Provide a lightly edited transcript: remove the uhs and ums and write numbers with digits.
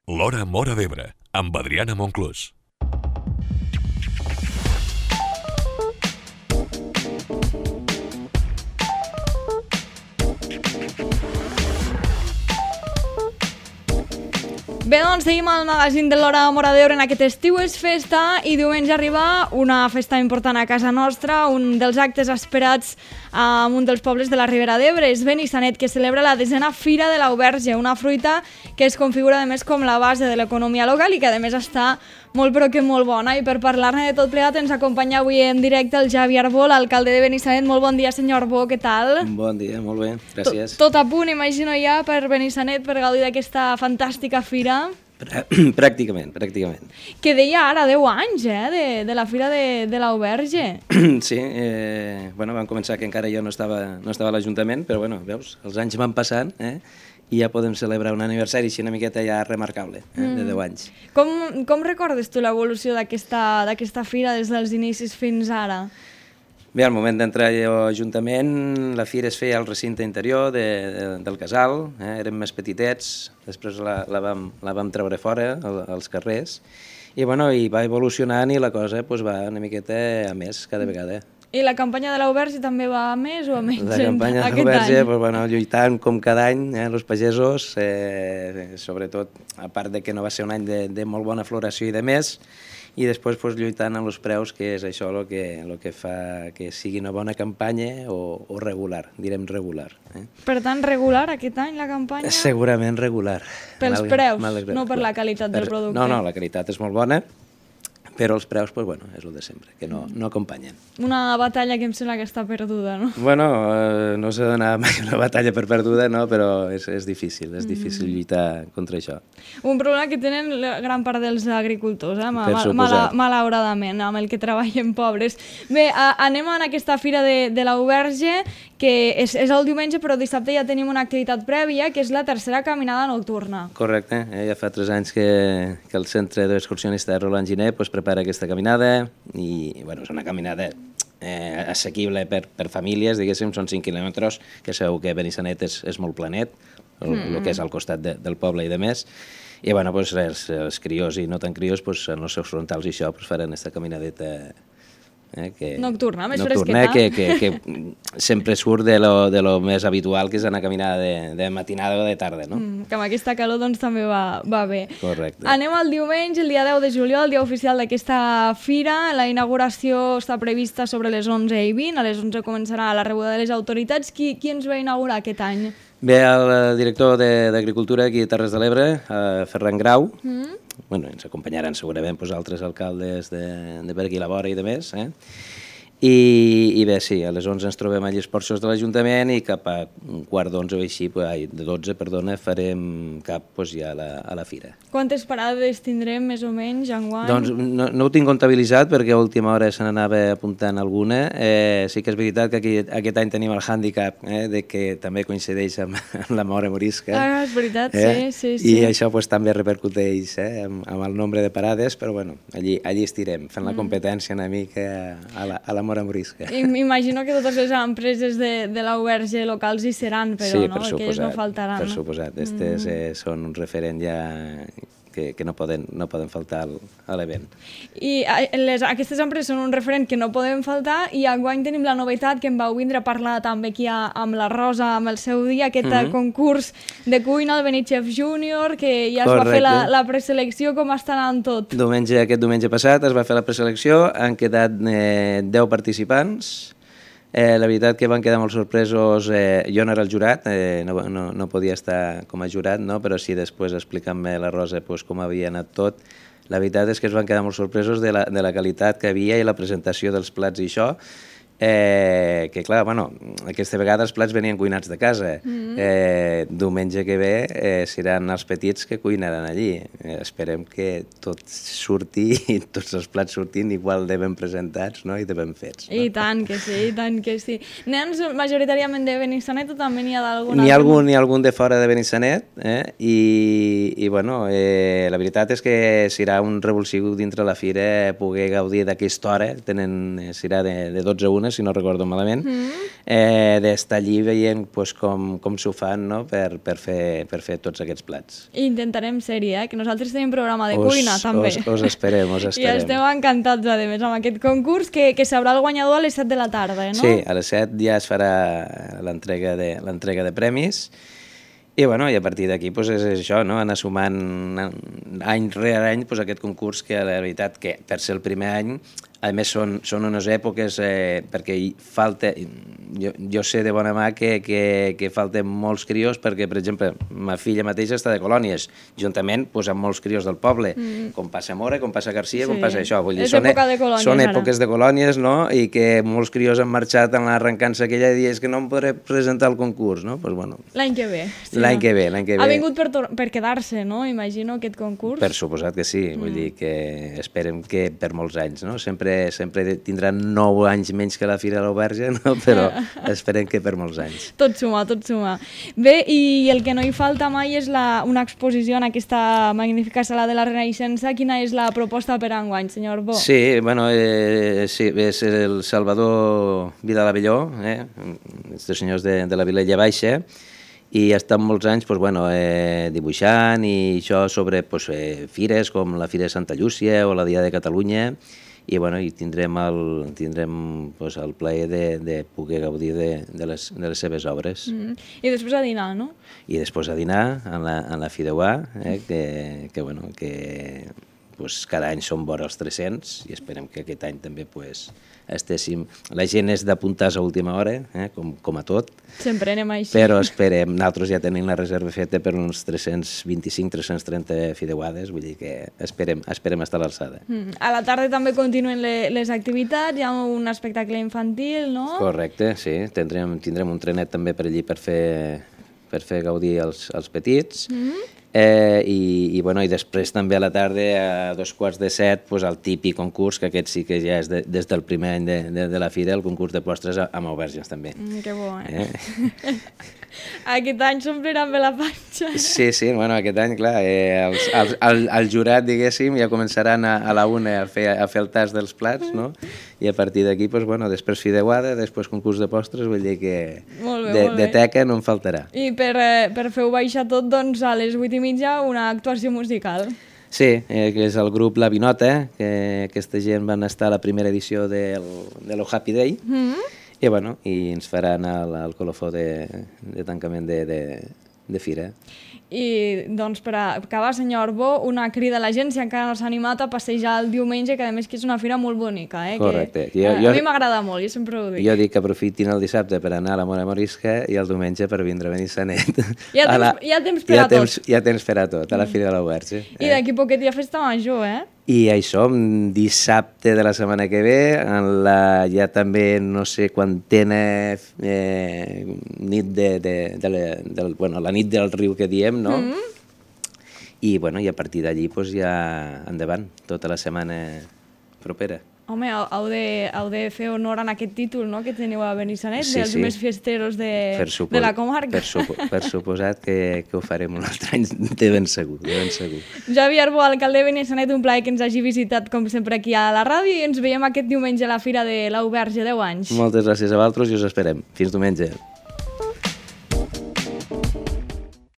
L'Hora Móra d'Ebre, amb Adriana Monclús. Bé, doncs seguim al magazín de l'Hora Móra d'Ebre. En aquest estiu és festa i diumenge arriba una festa important a casa nostra, un dels actes esperats en un dels pobles de la Ribera d'Ebre. És Benissanet, que celebra la 10a Fira de l'Auberge, una fruita que es configura a més com la base de l'economia local i que a més està molt però que molt bona. I per parlar-ne de tot plegat ens acompanya avui en directe el Javi Arbó, l'alcalde de Benissanet. Molt bon dia, senyor Arbó, què tal? Bon dia, molt bé, gràcies. Tot a punt, imagino ja, per Benissanet, per gaudir d'aquesta fantàstica fira. Pràcticament. Que deia ara 10 anys, de la Fira de l'Auberge. Sí, vam començar que encara jo no estava a l'Ajuntament, però bueno, veus, els anys van passant, i ja podem celebrar un aniversari així una miqueta ja remarcable, de 10 anys. Com recordes tu l'evolució d'aquesta fira des dels inicis fins ara? Bé, al moment d'entrar a l'Ajuntament, la fira es feia al recinte interior del casal, érem més petitets, després la vam treure fora, als carrers, i bueno, i va evolucionant i la cosa va una miqueta a més cada vegada. I la campanya de l'Auberge també va a més o a menys aquest any? La campanya de l'Auberge, lluitant com cada any, els pagesos, sobretot, a part de que no va ser un any de molt bona floració i de més, i després lluitant amb els preus, que és això el que fa que sigui una bona campanya o regular, direm regular. Per tant, regular aquest any la campanya? Segurament regular. Pels preus, no per la qualitat del producte? No, la qualitat és molt bona, però els preus, és el de sempre, que no acompanyen. Una batalla que em sembla que està perduda, no? Bueno, no s'ha d'anar mai una batalla per perduda, no? Però és difícil lluitar contra això. Un problema que tenen gran part dels agricultors, malauradament, amb el que treballen pobres. Bé, anem a aquesta fira de l'Auberge, que és el diumenge, però dissabte ja tenim una activitat prèvia, que és la tercera caminada nocturna. Correcte, ja fa 3 anys que el Centre d'Excursionista Roland Giner prepara aquesta caminada i és una caminada assequible per famílies, diguéssim, són 5 quilòmetres, que sabeu que Benissanet és molt planet, el que és al costat del poble i de més, i els criors i no tan criors en els seus frontals i això faran aquesta caminadeta nocturna, més fresqueta. Que sempre surt de lo més habitual, que és anar a caminar de matinada o de tarda, no? Que amb aquesta calor també va bé. Correcte. Anem al diumenge, el dia 10 de juliol, el dia oficial d'aquesta fira. La inauguració està prevista sobre les 11:20, a les 11 començarà la rebuda de les autoritats. Qui ens va inaugurar aquest any? Bé, el director d'Agricultura aquí a Terres de l'Ebre, Ferran Grau. Ens acompanyaran segurament altres alcaldes de per aquí a la vora i de més. I bé, sí, a les 11 ens trobem allà als porxos de l'Ajuntament i cap a un quart d'11 o així, de 12, farem cap ja a la fira. Quantes parades tindrem, més o menys, enguany? Doncs no ho tinc comptabilitzat perquè a última hora se n'anava apuntant alguna. Sí que és veritat que aquest any tenim el hàndicap de que també coincideix amb la Mora Morisca. Ah, és veritat, sí. I això també repercuteix amb el nombre de parades, però allí estirem, fent la competència una mica a la Mora Morisca. Imagino que totes les empreses de l'Auberge locals hi seran, però sí, no? Que ells no faltaran. Per suposat, són un referent ja que no poden faltar a l'event. I aquestes empreses són un referent que no poden faltar i enguany tenim la novetat que em vau vindre a parlar també aquí amb la Rosa, amb el seu dia, aquest concurs de cuina, el Benichef Júnior, que ja es va fer la preselecció. Com està anant tot? Aquest diumenge passat es va fer la preselecció, han quedat 10 participants. La veritat que van quedar molt sorpresos, jo no era el jurat, no podia estar com a jurat, però sí després explicant-me la Rosa com havia anat tot. La veritat és que es van quedar molt sorpresos de la qualitat que havia i la presentació dels plats i això, que clar, aquesta vegada els plats venien cuinats de casa. Diumenge que ve seran els petits que cuinaran allí. Esperem que tot surti i tots els plats surtin igual de ben presentats i de ben fets. I tant que sí. Nens majoritàriament de Benissanet o també n'hi ha d'algun? N'hi ha algun de fora de Benissanet i la veritat és que serà un revulsiu dintre la fira poder gaudir d'aquesta hora. Serà de 12 a 1, persones, si no recordo malament, d'estar allí veient pues, com s'ho fan, no? per fer tots aquests plats. I intentarem ser-hi, que nosaltres tenim programa de cuina, també. Us esperem, us esperem. I estem encantats, a més, amb aquest concurs, que sabrà el guanyador a les 7 de la tarda, no? Sí, a les 7 ja es farà l'entrega de premis. I, bueno, i a partir d'aquí pues, és això, no? Anar sumant any rere any pues, aquest concurs que la veritat que per ser el primer any, a més són unes èpoques perquè falta, jo sé de bona mà que falten molts crios perquè, per exemple, ma filla mateixa està de colònies, juntament pues, amb molts crios del poble, com passa a Mora, com passa a Garcia, com passa això. Vull dir, són èpoques de colònies, no? I que molts crios han marxat en l'arrencança aquella i és que no em podré presentar al concurs, no? Pues, bueno, l'any que ve. L'any que ve. Ha vingut per quedar-se, no? Imagino, aquest concurs. Per suposat que sí, vull dir que esperem que per molts anys, no? Sempre tindran 9 anys menys que la Fira de l'Auberge, no? Però esperem que per molts anys. Tot suma, tot suma. Bé, i el que no hi falta mai és una exposició en aquesta magnífica sala de la Renaixença. Quina és la proposta per enguany, senyor Bo? Sí, bueno, sí, és el Salvador Vilalabelló, els senyors de la Vilella Baixa, i ha estat molts anys pues, bueno, dibuixant i això sobre pues, fires com la Fira de Santa Llúcia o la Dia de Catalunya, i, bueno, i tindrem pues, el plaer de poder gaudir de les seves obres. I després a dinar, no? I després a dinar en la Fideuà, que bueno, pues, cada any són vora els 300 i esperem que aquest any també pues, estéssim... La gent és d'apuntar-se a última hora, com a tot. Sempre anem així. Però esperem, nosaltres ja tenim la reserva feta per uns 325-330 fideuades, vull dir que esperem estar a l'alçada. A la tarda també continuen les activitats, hi ha un espectacle infantil, no? Correcte, sí. Tindrem un trenet també per allí per fer gaudir els petits. I després també a la tarda a 6:45 pues, el típic concurs, que aquest sí que ja és des del primer any de la Fira, el concurs de postres amb aubergines també. Que bo, Aquest any s'ompliran bé la panxa. Sí, bueno, aquest any, clar, el jurat, diguéssim, ja començaran a la 1 a fer el tast dels plats, no? I a partir d'aquí, pues, bueno, després fideuada, després concurs de postres, vull dir que de teca no en faltarà. I per fer-ho baixar tot, doncs, a les 8:30 una actuació musical. Sí, que és el grup La Vinota, que aquesta gent van estar a la primera edició de lo Happy Day, i ens faran el colofó de tancament de fira. I, doncs, per acabar, senyor Bo, una crida a la gent, si encara no s'ha animat a passejar el diumenge, que a més que és una fira molt bonica. Correcte. A mi m'agrada molt, jo sempre ho dic. Jo dic que aprofitin el dissabte per anar a la Mora Morisca i el diumenge per vindre a Benissanet. Hi ha temps per a tot. Hi ha temps per a tot, a la Fira de l'Auberge. I d'aquí poquet hi ha festa major, I això, dissabte de la setmana que ve, ja també no sé quantena nit la nit del riu que diem, no? I a partir d'allí ja endavant, tota la setmana propera. Home, heu de fer honor en aquest títol, no?, que teniu a Benissanet, dels més fiesteros de la comarca. Per suposat que ho farem un altre any, de ben segur. Javier Bo, alcalde de Benissanet, un plaer que ens hagi visitat, com sempre, aquí a la ràdio, i ens veiem aquest diumenge a la Fira de l'Auberge, 10 anys. Moltes gràcies a vosaltres i us esperem. Fins diumenge.